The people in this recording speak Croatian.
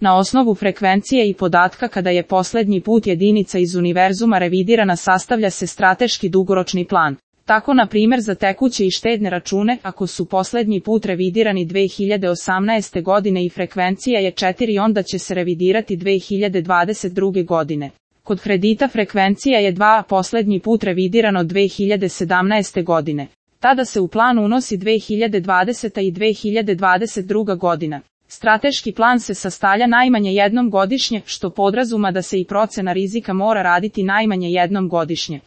Na osnovu frekvencije i podatka kada je posljednji put jedinica iz univerzuma revidirana sastavlja se strateški dugoročni plan. Tako na primjer za tekuće i štedne račune, ako su posljednji put revidirani 2018. godine i frekvencija je 4, onda će se revidirati 2022. godine. Kod kredita frekvencija je 2, a posljednji put revidirano 2017. godine. Tada se u plan unosi 2020. i 2022. godina. Strateški plan se sastavlja najmanje jednom godišnje, što podrazuma da se i procena rizika mora raditi najmanje jednom godišnje.